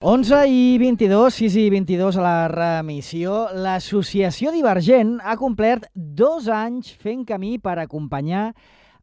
11:22, 6:22 a la remissió. L'Associació Divergent ha complert 2 anys fent camí per acompanyar,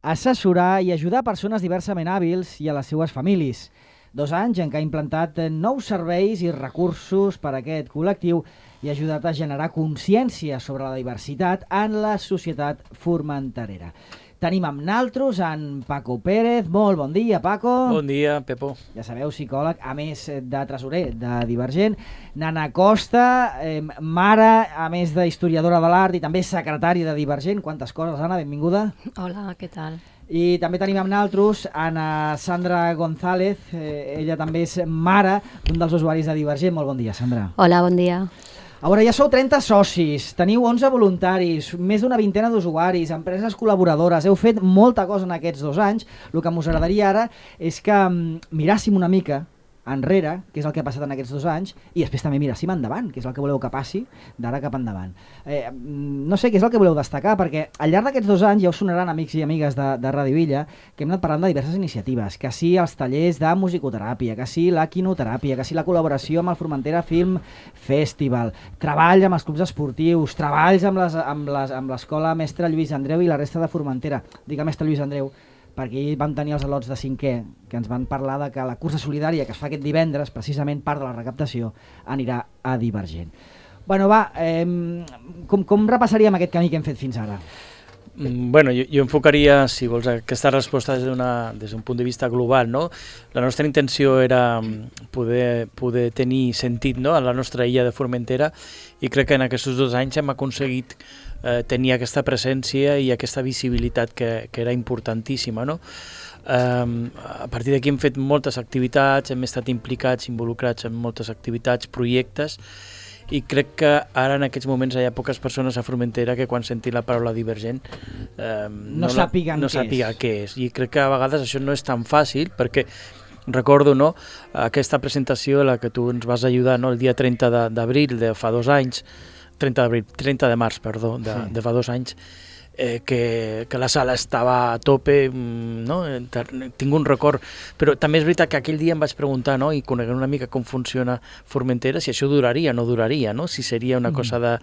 assessorar i ajudar persones diversament hàbils i a les seues famílies. 2 anys en què ha implantat nous serveis i recursos per a aquest col·lectiu i ha ajudat a generar consciència sobre la diversitat en la societat formenterera. Tenim amb naltros en Paco Pérez. Molt bon dia, Paco. Bon dia, Pepo. Ja sabeu, psicòleg, a més de tresorer de Divergent. Nana Costa, mare, a més d'historiadora de l'art i també secretària de Divergent. Quantes coses, Anna, benvinguda. Hola, què tal? I també tenim amb naltros Ana Sandra González. Ella també és mare d'un dels usuaris de Divergent. Molt bon dia, Sandra. Hola, bon dia. A veure, ja sou 30 socis, teniu 11 voluntaris, més d'una vintena d'usuaris, empreses col·laboradores, heu fet molta cosa en aquests 2 anys. El que m'us agradaria ara és que miràssim una mica enrere, que és el que ha passat en aquests 2 anys, i després també miràssim endavant, que és el que voleu que passi d'ara cap endavant. No sé què és el que voleu destacar, perquè al llarg d'aquests 2 anys ja us sonaran, amics i amigues de Ràdio Villa, que hem anat parlant de diverses iniciatives, que sí els tallers de musicoteràpia, que sí la quinoteràpia, que sí la col·laboració amb el Formentera Film Festival, treball amb els clubs esportius, treballs amb l'escola Mestre Lluís Andreu i la resta de Formentera. Dic el Mestre Lluís Andreu perquè ahir vam tenir els al·lots de 5è que ens van parlar de que la cursa solidària que es fa aquest divendres, precisament part de la recaptació, anirà a Divergent. Bueno, va, com repassaríem aquest camí que hem fet fins ara? Bueno, jo enfocaria, si vols, aquesta resposta des d'un punt de vista global, no? La nostra intenció era poder tenir sentit, no?, a la nostra illa de Formentera, i crec que en aquests 2 anys hem aconseguit tenir aquesta presència i aquesta visibilitat que era importantíssima, no? A partir d'aquí hem fet moltes activitats, hem estat implicats, involucrats en moltes activitats, projectes, i crec que ara en aquests moments hi ha poques persones a Formentera que quan sentin la paraula Divergent no sàpiguen què és. I crec que a vegades això no és tan fàcil, perquè recordo, no, aquesta presentació a la que tu ens vas ajudar, no, el dia 30 d'abril de fa 2 anys, 30 de març, perdó, de fa 2 anys, que la sala estava a tope, no? Tinc un record, però també és veritat que aquell dia em vaig preguntar, no, i coneguent una mica com funciona Formentera, si això duraria o no duraria, no? Si seria una cosa de,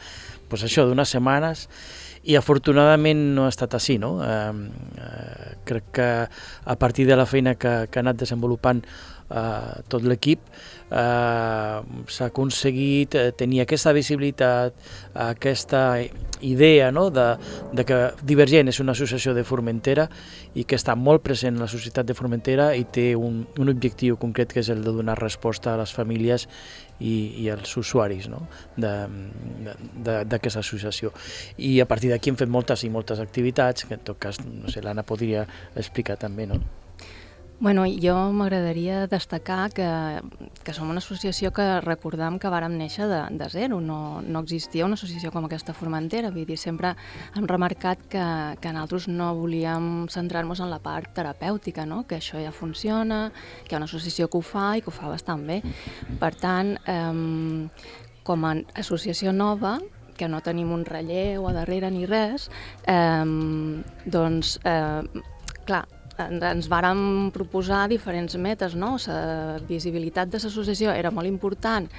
pues això, d'unes setmanes, i afortunadament no ha estat així, no? Crec que a partir de la feina que ha anat desenvolupant tot l'equip s'ha aconseguit tenir aquesta visibilitat, aquesta idea, no?, de que Divergent és una associació de Formentera i que està molt present en la societat de Formentera i té un objectiu concret, que és el de donar resposta a les famílies i als usuaris, no?, d'aquesta associació. I a partir d'aquí hem fet moltes i moltes activitats, que en tot cas, no sé, l'Anna podria explicar també, no? Bueno, jo m'agradaria destacar que som una associació que recordam que vàrem néixer de zero, no existia una associació com aquesta a Formentera, vull dir, sempre hem remarcat que nosaltres no volíem centrar-nos en la part terapèutica, no?, que això ja funciona, que hi ha una associació que ho fa i que ho fa bastant bé. Per tant, com a associació nova, que no tenim un relleu a darrere ni res, doncs, clar, ens vàrem proposar diferents metes, no? La visibilitat de l'associació era molt important,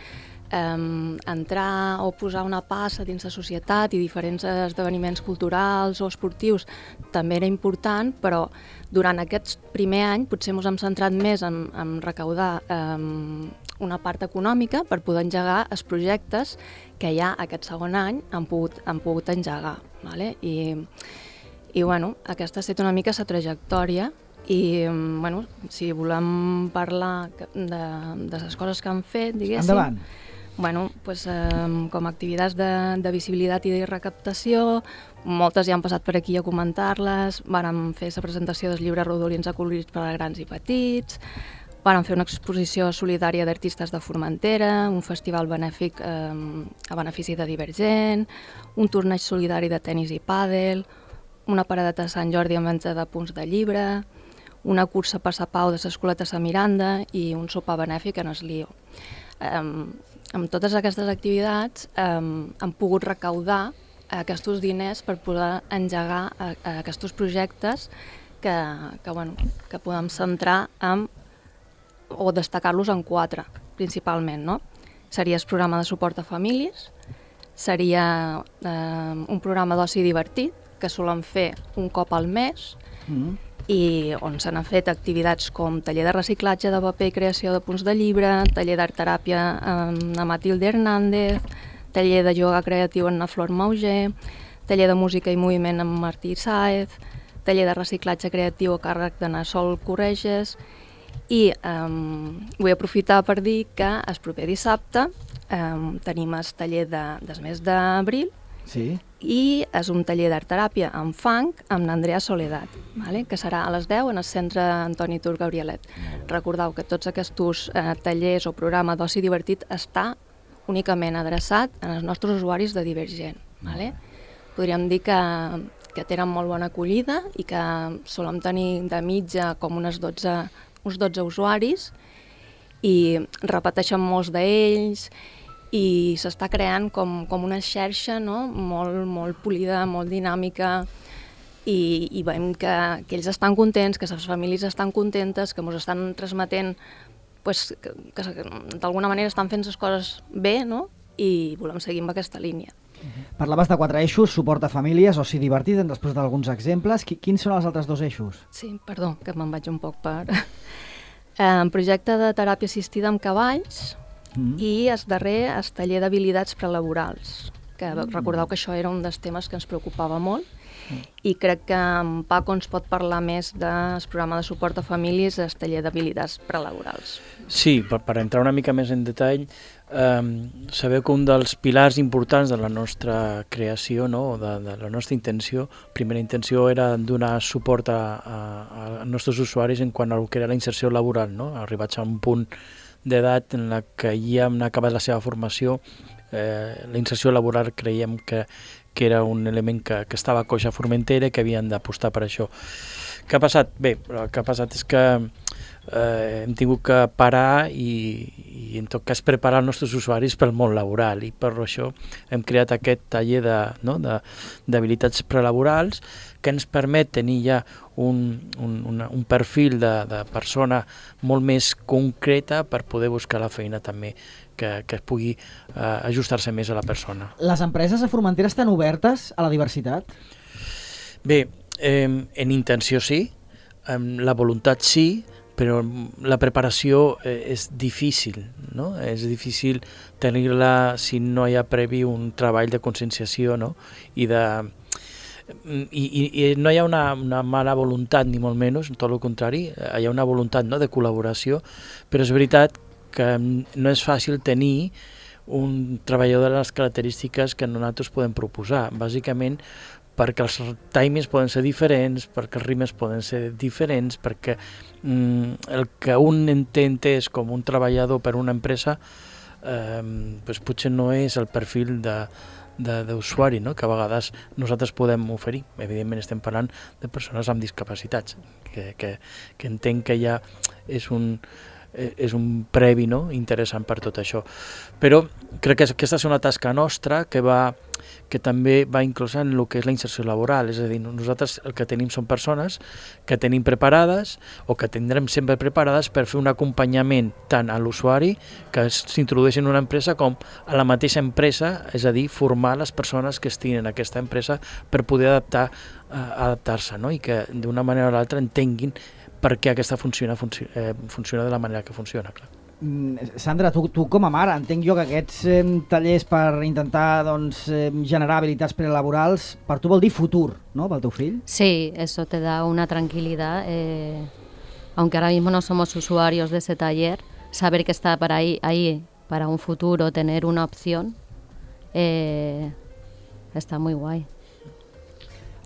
entrar o posar una passa dins la societat i diferents esdeveniments culturals o esportius també era important, però durant aquest primer any potser ens hem centrat més en recaudar una part econòmica per poder engegar els projectes que ja aquest segon any han pogut engegar, ¿vale? I bueno, aquesta ha estat una mica la trajectòria i bueno, si volem parlar de les coses que han fet, diguéssim... Endavant! Bueno, pues, com a activitats de visibilitat i de recaptació, moltes ja han passat per aquí a comentar-les, vàrem fer la presentació dels llibres rodolins acolorits per a grans i petits, vàrem fer una exposició solidària d'artistes de Formentera, un festival benèfic a benefici de Divergent, un torneig solidari de tennis i pàdel, una paradeta de Sant Jordi amb venda de punts de llibre, una cursa per la pau de l'Escoleta de Miranda i un sopar benèfic en el Lió. Amb totes aquestes activitats hem pogut recaudar aquests diners per poder engegar aquests projectes que podem centrar o destacar-los en 4. principalment, no? Seria el programa de suport a famílies, seria un programa d'oci divertit, que solen fer un cop al mes, i on s'han fet activitats com taller de reciclatge de paper i creació de punts de llibre, taller d'art teràpia amb Matilde Hernández, taller de yoga creatiu amb Flor Mauger, taller de música i moviment amb Martí Sáez, taller de reciclatge creatiu a càrrec de Sol Correges, i vull aprofitar per dir que el proper dissabte tenim el taller del mes d'abril, Sí. i és un taller d'art teràpia en funk amb l'Andrea Soledad, que serà a les 10 en el centre Antoni Tur Gabrielet. Recordeu que tots aquests tallers o programa d'oci divertit està únicament adreçat als nostres usuaris de Divergent. Podríem dir que tenen molt bona acollida i que solem tenir de mitja com uns 12 usuaris i repeteixen molts d'ells, i s'està creant com una xarxa, no? molt polida, molt dinàmica, i veiem que ells estan contents, que les famílies estan contentes, que ens estan transmetent que d'alguna manera estan fent les coses bé, no? I volem seguir amb aquesta línia. Parlaves de 4 eixos, suport a famílies, oci divertit, després d'alguns exemples. Quins són els altres 2 eixos? Sí, perdó, que me'n vaig un poc per... projecte de teràpia assistida amb cavalls, i el darrer, el taller d'habilitats prelaborals, que recordeu que això era un dels temes que ens preocupava molt, i crec que en Paco ens pot parlar més del programa de suport a famílies, el taller d'habilitats prelaborals. Sí, per entrar una mica més en detall, sabeu que un dels pilars importants de la nostra creació, no? de la nostra intenció, primera intenció era donar suport als nostres usuaris en quant al que era la inserció laboral, no? Arribats a un punt d'edat en la que ja han acabat la seva formació, la inserció laboral creiem que era un element que estava coix a Formentera i que havien d'apostar per això. Què ha passat? Bé, el que ha passat és que hem tingut que parar i en tot cas preparar els nostres usuaris pel món laboral, i per això hem creat aquest taller d'habilitats prelaborals que ens permet tenir ja un perfil de persona molt més concreta per poder buscar la feina també que pugui ajustar-se més a la persona. Les empreses a Formentera estan obertes a la diversitat? Bé, en intenció sí, la voluntat sí, però la preparació és difícil, no? És difícil tenir-la si no hi ha previ un treball de conscienciació, no? I no hi ha una mala voluntat, ni molt menys, tot el contrari, hi ha una voluntat, no?, de col·laboració, però és veritat que no és fàcil tenir un treballador de les característiques que nosaltres podem proposar, bàsicament perquè els timings poden ser diferents, perquè els ritmes poden ser diferents, perquè el que un entès com un treballador per una empresa potser no és el perfil d'usuari, no?, que a vegades nosaltres podem oferir. Evidentment estem parlant de persones amb discapacitats, que entenc que ja és un previ, no?, interessant per tot això. Però crec que aquesta és una tasca nostra que també va inclosa en el que és la inserció laboral, és a dir, nosaltres el que tenim són persones que tenim preparades o que tindrem sempre preparades per fer un acompanyament tant a l'usuari que s'introdueixi en una empresa com a la mateixa empresa, és a dir, formar les persones que estiguin en aquesta empresa per poder adaptar-se, no?, i que d'una manera o l'altra entenguin per què aquesta funciona de la manera que funciona, clar. Sandra, tu com a mare, entenc jo que aquests tallers per intentar generar habilitats prelaborals, per tu vol dir futur, ¿no?, pel teu fill? Sí, eso te da una tranquilidad. Aunque ahora mismo no somos usuarios de ese taller, saber que está para ahí para un futuro, tener una opción, está muy guay.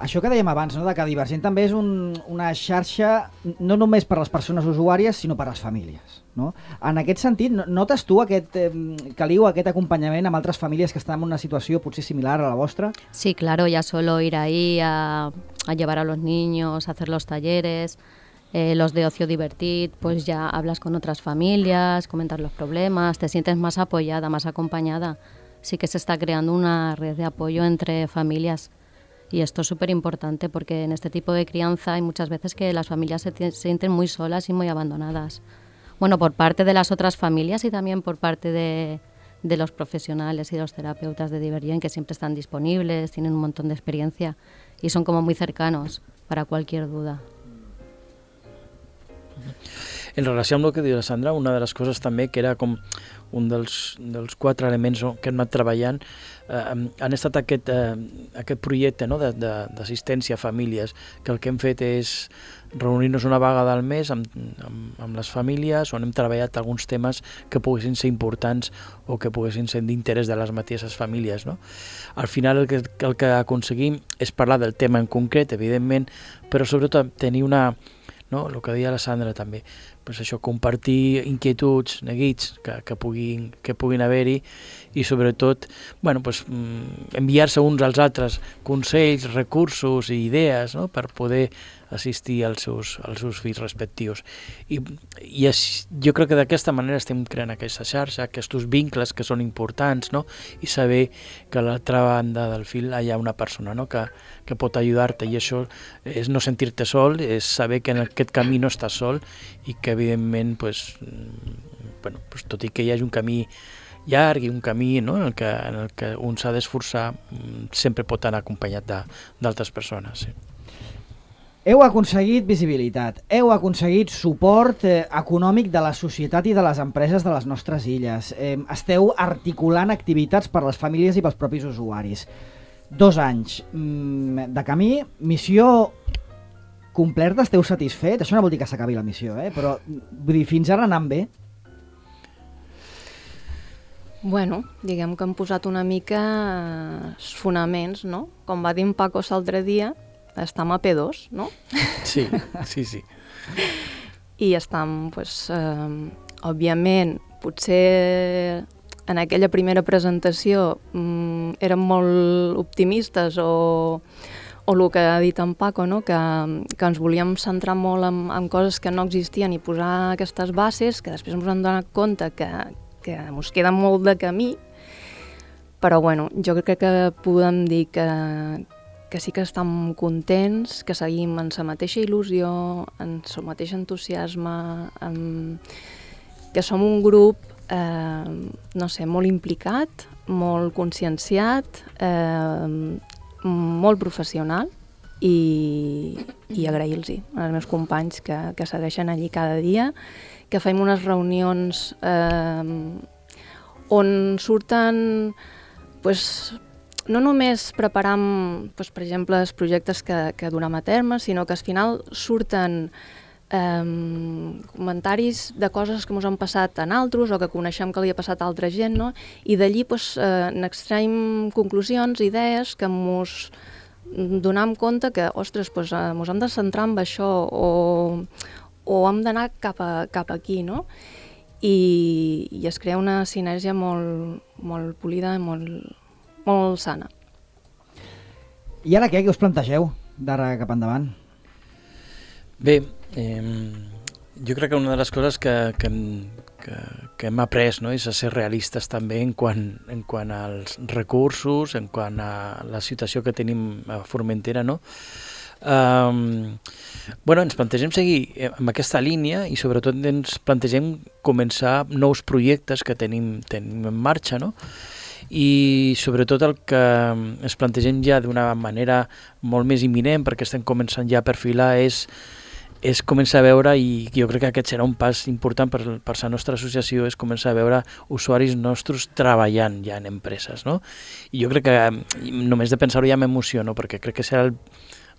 Això que dèiem abans, no?, de que Divergent també és una xarxa no només per a les persones usuàries, sinó per a les famílies, no? En aquest sentit, notes tu Caliu, aquest acompanyament amb altres famílies que estan en una situació potser similar a la vostra? Sí, claro, ya solo ir ahí a llevar a los niños, a hacer los talleres, los de ocio divertit, pues ya hablas con otras familias, comentas los problemas, te sientes más apoyada, más acompañada. Sí que se está creando una red de apoyo entre familias. Y esto es súper importante porque en este tipo de crianza hay muchas veces que las familias se sienten muy solas y muy abandonadas. bueno, por parte de las otras familias y también por parte de los profesionales y los terapeutas de Divergent, que siempre están disponibles, tienen un montón de experiencia y son como muy cercanos para cualquier duda. En relació amb el que diu la Sandra, una de les coses també que era com un dels 4 elements que hem anat treballant han estat aquest projecte, no, d'assistència a famílies, que el que hem fet és reunir-nos una vegada al mes amb les famílies, on hem treballat alguns temes que poguessin ser importants o que poguessin ser d'interès de les mateixes famílies, no? Al final el que aconseguim és parlar del tema en concret, evidentment, però sobretot tenir una... No? El que deia la Sandra també, pues això, compartir inquietuds, neguits que puguin haver-hi i sobretot bueno, pues, enviar-se uns als altres consells, recursos i idees, no? Per poder assistir als seus fills respectius. I jo crec que d'aquesta manera estem creant aquesta xarxa, aquests vincles que són importants, no? I saber que a l'altra banda del fil hi ha una persona, no? que pot ajudar-te, i això és no sentir-te sol, és saber que en aquest camí no estàs sol i que evidentment pues, tot i que hi hagi un camí llarg i un camí, no? en el que un s'ha d'esforçar, sempre pot anar acompanyat d'altres persones. Sí. Heu aconseguit visibilitat, heu aconseguit suport econòmic de la societat i de les empreses de les nostres illes. Esteu articulant activitats per a les famílies i pels propis usuaris. 2 anys de camí, missió complerta, esteu satisfets? Això no vol dir que s'acabi la missió, però vull dir, fins ara anant bé? Bueno, diguem que hem posat una mica els fonaments, no? Com va dir en Paco l'altre dia, estem a P2, no? Sí. I estem, doncs, òbviament, potser en aquella primera presentació érem molt optimistes o el que ha dit en Paco, no? que ens volíem centrar molt en coses que no existien i posar aquestes bases, que després ens hem donat compte que ens queda molt de camí, però bueno, jo crec que podem dir que sí que estem contents, que seguim en la mateixa il·lusió, en el mateix entusiasme, que som un grup, no sé, molt implicat, molt conscienciat, molt professional i agrair-los als meus companys que segueixen allí cada dia, que fem unes reunions on surten no només preparam, per exemple, els projectes que duram a terme, sinó que al final surten comentaris de coses que ens han passat a nosaltres o que coneixem que li ha passat a altra gent, no? I d'allí n'extraiem conclusions, idees que ens donem compte que, ostres, ens hem de centrar en això o hem d'anar cap aquí, no? I es crea una sinergia molt polida i molt sana. I ara què us plantegeu d'ara cap endavant? Bé, jo crec que una de les coses que hem après, no, és a ser realistes també en quant als recursos, en quant a la situació que tenim a Formentera, no? Ens plantegem seguir amb aquesta línia i sobretot ens plantegem començar nous projectes que tenim en marxa, no? I sobretot el que ens plantegem ja d'una manera molt més imminent, perquè estem començant ja a perfilar, és començar a veure, i jo crec que aquest serà un pas important per la nostra associació, és començar a veure usuaris nostres treballant ja en empreses, no? I jo crec que només de pensar-ho ja m'emociono, perquè crec que serà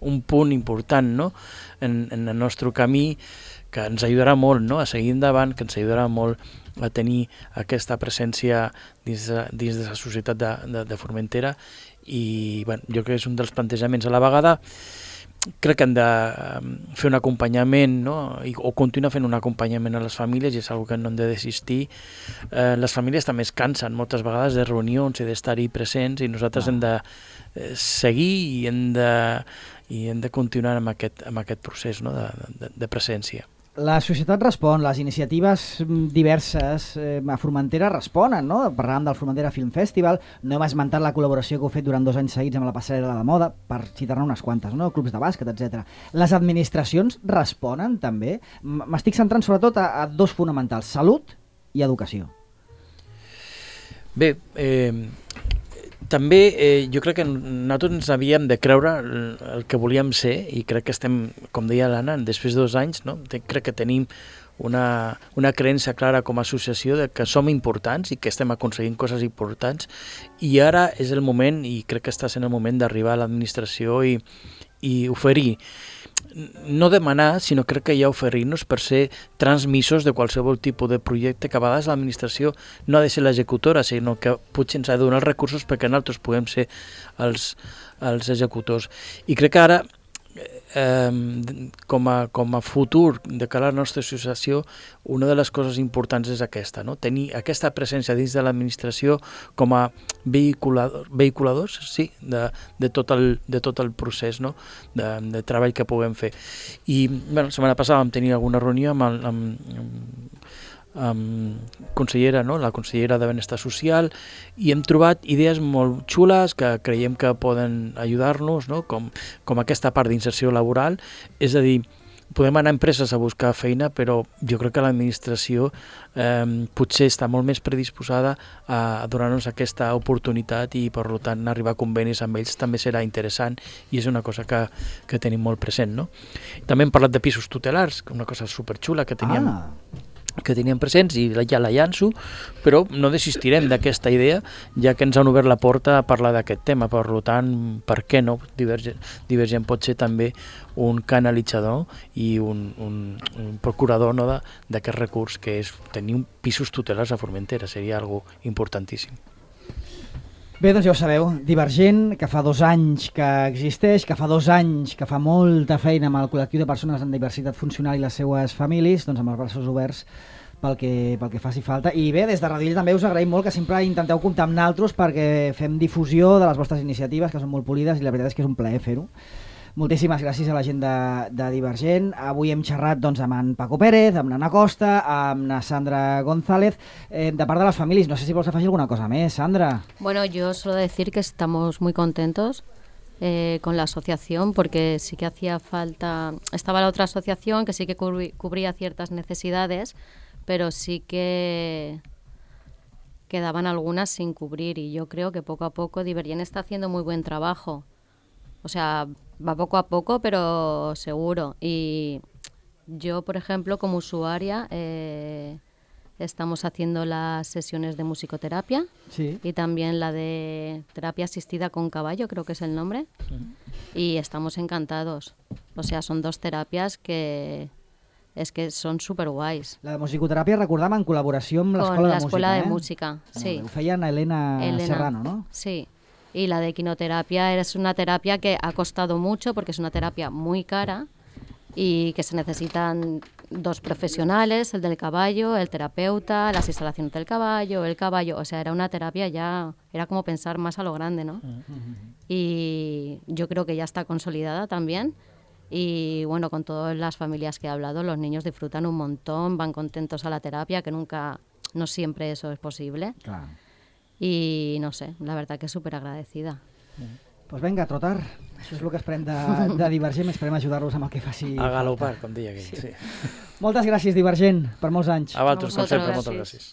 un punt important, no? en el nostre camí, que ens ajudarà molt, no? A seguir endavant, que ens ajudarà molt a tenir aquesta presència dins de la societat de Formentera, i jo crec que és un dels plantejaments. A la vegada crec que hem de fer un acompanyament, no? O continuar fent un acompanyament a les famílies, i és una cosa que no hem de desistir. Les famílies també es cansen moltes vegades de reunions i d'estar-hi presents, i nosaltres hem de seguir i hem de continuar amb aquest procés, no? de presència. La societat respon, les iniciatives diverses a Formentera responen, no? Parlàvem del Formentera Film Festival, no hem esmentat la col·laboració que heu fet durant 2 anys seguits amb la passarel·la de moda, per citar-ne unes quantes, no? Clubs de bàsquet, etc. Les administracions responen també? M'estic centrant sobretot a 2 fonamentals, salut i educació. Bé, també jo crec que nosaltres ens havíem de creure el que volíem ser i crec que estem, com deia l'Anna, després de 2 anys, no? Crec que tenim una creença clara com a associació de que som importants i que estem aconseguint coses importants i ara és el moment, i crec que està sent el moment d'arribar a l'administració i oferir, no demanar, sinó crec que ja oferir-nos per ser transmissors de qualsevol tipus de projecte, que a vegades l'administració no ha de ser l'executora, sinó que potser ens ha de donar els recursos perquè nosaltres puguem ser els executors. I crec que ara, com a futur de cara a la nostra associació, una de les coses importants és aquesta, no? Tenir aquesta presència dins de l'administració com a vehiculadors, sí, de tot el procés, no? de treball que puguem fer. I bueno, la setmana passada vam tenir alguna reunió amb consellera, no? La consellera de Benestar Social, i hem trobat idees molt xules que creiem que poden ajudar-nos, no? com aquesta part d'inserció laboral, és a dir, podem anar a empreses a buscar feina, però jo crec que l'administració potser està molt més predisposada a donar-nos aquesta oportunitat i per tant arribar a convenis amb ells també serà interessant i és una cosa que tenim molt present, no? També hem parlat de pisos tutelars, una cosa superxula que teníem presents i ja la llanço, però no desistirem d'aquesta idea, ja que ens han obert la porta a parlar d'aquest tema. Per tant, per què no? Divergent pot ser també un canalitzador i un procurador, no, d'aquest recurs que és tenir pisos tutelars a Formentera. Seria algo importantíssim. Bé, doncs ja ho sabeu, Divergent, que fa 2 anys que existeix, que fa 2 anys que fa molta feina amb el col·lectiu de persones amb diversitat funcional i les seues famílies, doncs amb els braços oberts pel que faci falta. I bé, des de Radill també us agraïm molt que sempre intenteu comptar amb naltros perquè fem difusió de les vostres iniciatives, que són molt polides, i la veritat és que és un plaer fer-ho. Moltíssimes gràcies a la gent de Divergent. Avui hem xerrat doncs, amb en Paco Pérez, amb l'Anna Costa, amb la Sandra González, de part de les famílies. No sé si vols afegir alguna cosa més, Sandra. Bueno, yo solo decir que estamos muy contentos con la asociación porque sí que hacía falta... Estaba la otra asociación que sí que cubría ciertas necesidades, pero sí que quedaban algunas sin cubrir y yo creo que poco a poco Divergent está haciendo muy buen trabajo. O sea, va poco a poco, pero seguro. Y yo, por ejemplo, como usuaria, estamos haciendo las sesiones de musicoterapia, sí, y también la de terapia asistida con caballo, creo que es el nombre. Y estamos encantados. O sea, son 2 terapias que son súper guais. La de musicoteràpia, recordam, en col·laboració amb l'Escola de Música. Con l'Escola de Música, sí. Ho feien Elena Serrano, ¿no? Sí. Y la de equinoterapia es una terapia que ha costado mucho porque es una terapia muy cara y que se necesitan 2 profesionales, el del caballo, el terapeuta, las instalaciones del caballo, el caballo. O sea, era una terapia ya, era como pensar más a lo grande, ¿no? Y yo creo que ya está consolidada también. Y bueno, con todas las familias que he hablado, los niños disfrutan un montón, van contentos a la terapia, que no siempre eso es posible. Clar. Y no sé, la verdad que súper agradecida. Pues venga, a trotar. Això és el que esperem de Divergent, esperem ajudar-los amb el que faci a galopar, com deia aquell. Sí. Moltes gràcies, Divergent, per molts anys. A vosaltres, com sempre, moltes gràcies.